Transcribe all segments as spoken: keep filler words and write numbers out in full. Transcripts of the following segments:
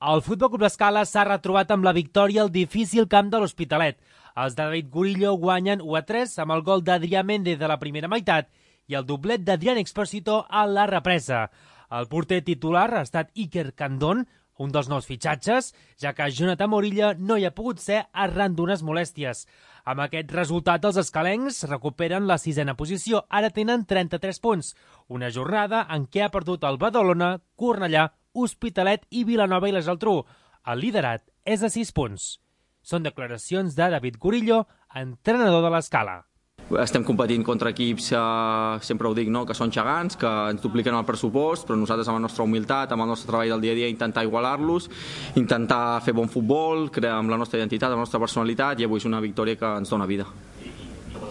El Futbol Club L'Escala s'ha retrobat amb la victòria al difícil camp de l'Hospitalet. Els de David Gurillo guanyen u a tres amb el gol d'Adrià Méndez de la primera meitat i el doblet d'Adrián Expósito a la represa. El porter titular ha estat Iker Candón, un dels nous fitxatges, ja que Jonathan Morilla no hi ha pogut ser arran d'unes molèsties. Amb aquest resultat, els escalencs recuperen la sisena posició. Ara tenen trenta-tres punts, una jornada en què ha perdut el Badalona, Cornellà, Hospitalet i Vilanova i la Geltrú. El liderat és de sis punts. Són declaracions de David Gurillo, entrenador de l'Escala. Estem competint contra equips, eh, sempre ho dic, no? Que són gegants, que ens dupliquen el pressupost, però nosaltres amb la nostra humilitat, amb el nostre treball del dia a dia, intentar igualar-los, intentar fer bon futbol, crear amb la nostra identitat, amb la nostra personalitat, i avui és una victòria que ens dona vida.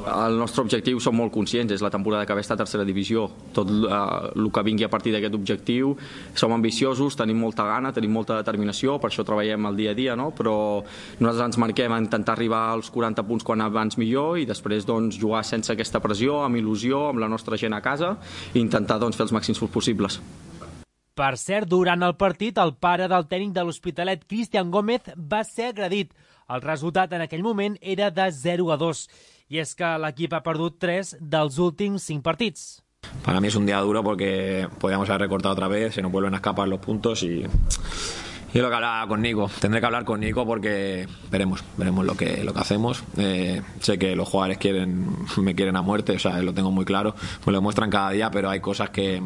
El nostre objectiu, som molt conscients, és la temporada que ve està a tercera divisió. Tot eh, el que vingui a partir d'aquest objectiu, som ambiciosos, tenim molta gana, tenim molta determinació, per això treballem el dia a dia, no? Però nosaltres ens marquem a intentar arribar als quaranta punts quan abans millor i després doncs, jugar sense aquesta pressió, amb il·lusió, amb la nostra gent a casa i intentar doncs, fer els màxims possibles. Per cert, durant el partit, el pare del tècnic de l'Hospitalet, Cristian Gómez, va ser agredit. El resultat en aquell moment era de zero a dos. Y es que l'equip ha perdut tres dels últims cinc partits. Para mí es un día duro porque podíamos haber recortado otra vez, se nos vuelven a escapar los puntos y, y lo que hablaba con Nico. Tendré que hablar con Nico porque veremos, veremos lo que, lo que hacemos. Eh, sé que los jugadores quieren, me quieren a muerte, o sea, lo tengo muy claro, me lo demuestran cada día, pero hay cosas que...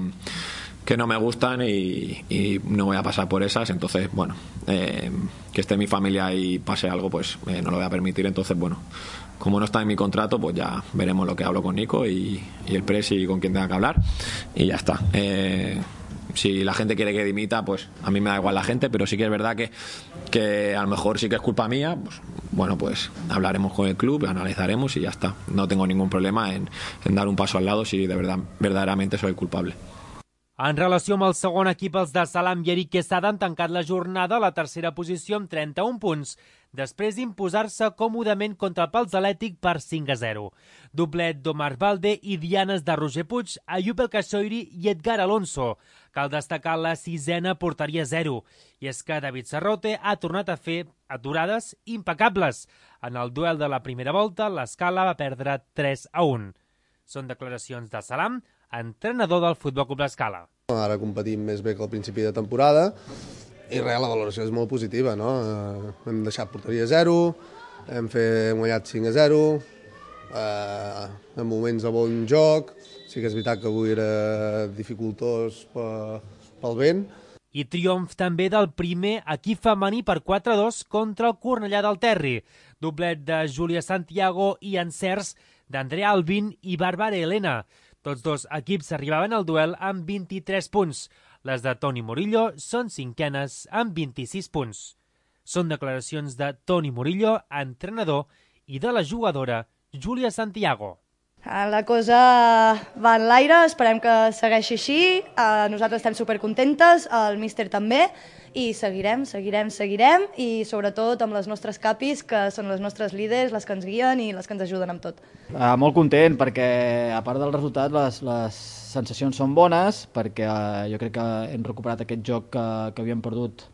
que no me gustan y, y no voy a pasar por esas, entonces, bueno, eh, que esté mi familia y pase algo, pues eh, no lo voy a permitir, entonces, bueno, como no está en mi contrato, pues ya veremos lo que hablo con Nico y, y el presi y con quien tenga que hablar y ya está. Eh, si la gente quiere que dimita, pues a mí me da igual la gente, pero sí que es verdad que, que a lo mejor sí que es culpa mía, pues bueno, pues hablaremos con el club, analizaremos y ya está. No tengo ningún problema en, en dar un paso al lado si de verdad, verdaderamente soy culpable. En relació amb el segon equip, els de Salam i Eric Quesada han tancat la jornada a la tercera posició amb trenta-un punts, després d'imposar-se còmodament contra el Pals Atlètic per cinc a zero. Doblet d'Omar Valde i dianes de Roger Puig, Ayub El Kassoiri i Edgar Alonso. Cal destacar la sisena porteria zero. I és que David Serrote ha tornat a fer aturades impecables. En el duel de la primera volta, l'Escala va perdre tres a un. Són declaracions de Salam, entrenador del Futbol Club L'Escala. Ara competim més bé que al principi de temporada i res, la valoració és molt positiva, no? Hem deixat porteria zero, hem, fet, hem guanyat cinc a zero, eh, en moments de bon joc, sí que és veritat que avui era dificultós pel vent. I triomf també del primer equip femení per quatre a dos contra el Cornellà del Terri. Doblet de Júlia Santiago i encerts d'Andrea Albin i Bàrbara Helena. Tots dos equips arribaven al duel amb vint-i-tres punts. Les de Toni Murillo són cinquenes amb vint-i-sis punts. Són declaracions de Toni Murillo, entrenador, i de la jugadora Júlia Santiago. La cosa va en l'aire, esperem que segueixi així, nosaltres estem supercontentes, el míster també, i seguirem, seguirem, seguirem, i sobretot amb les nostres capis, que són les nostres líders, les que ens guien i les que ens ajuden amb tot. Uh, molt content, perquè a part del resultat les, les sensacions són bones, perquè uh, jo crec que hem recuperat aquest joc que, que havíem perdut,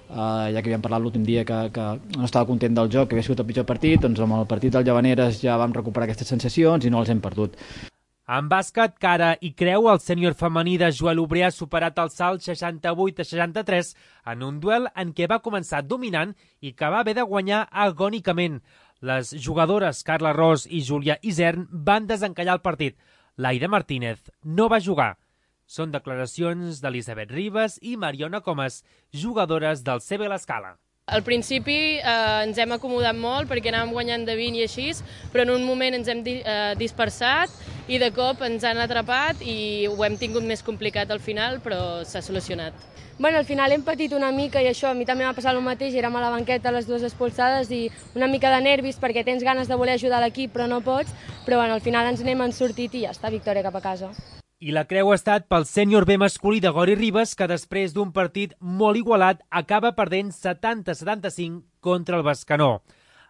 uh, ja que havíem parlat l'últim dia que, que no estava content del joc, que havia sigut el pitjor partit, doncs amb el partit del Llavaneres ja vam recuperar aquestes sensacions i no les hem perdut. En bàsquet, cara i creu, el sènior femení de Joel Obrer ha superat el salt seixanta-vuit a seixanta-tres en un duel en què va començar dominant i que va haver de guanyar agònicament. Les jugadores Carla Ros i Júlia Isern van desencallar el partit. Laida Martínez no va jugar. Són declaracions d'Elisabet Ribas i Mariona Comas, jugadores del C B L'Escala. Al principi eh, ens hem acomodat molt perquè anàvem guanyant de vint i així, però en un moment ens hem di eh, dispersat i de cop ens han atrapat i ho hem tingut més complicat al final, però s'ha solucionat. Bueno, al final hem patit una mica i això a mi també m'ha passat el mateix, érem a la banqueta les dues expulsades i una mica de nervis perquè tens ganes de voler ajudar l'equip però no pots, però bueno, al final ens n'hem sortit i ja està, victòria cap a casa. I la creu ha estat pel sènior B masculí de Gori Ribas, que després d'un partit molt igualat acaba perdent setanta a setanta-cinc contra el Bescanó.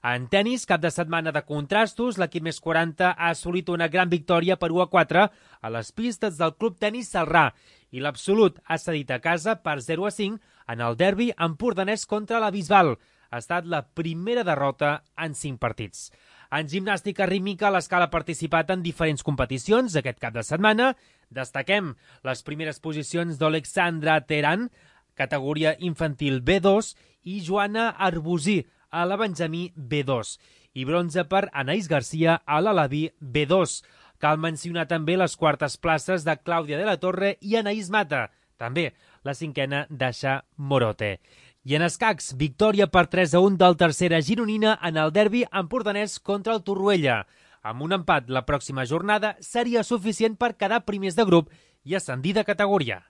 En tenis, cap de setmana de contrastos, l'equip més quaranta ha assolit una gran victòria per u a quatre a les pistes del Club Tenis Celrà i l'Absolut ha cedit a casa per zero a cinc en el derbi empordanès contra la Bisbal. Ha estat la primera derrota en cinc partits. En gimnàstica rítmica, l'Escala ha participat en diferents competicions aquest cap de setmana. Destaquem les primeres posicions d'Alexandra Teran, categoria infantil B dos, i Joana Arbusí, a la Benjamí B dos, i bronze per Anaïs Garcia a l'Alaví B dos. Cal mencionar també les quartes places de Clàudia de la Torre i Anaïs Mata, també la cinquena d'Aixa Morote. I en escacs, victòria per tres a un del tercera gironina en el derbi empordanès contra el Torroella. Amb un empat la pròxima jornada seria suficient per quedar primers de grup i ascendir de categoria.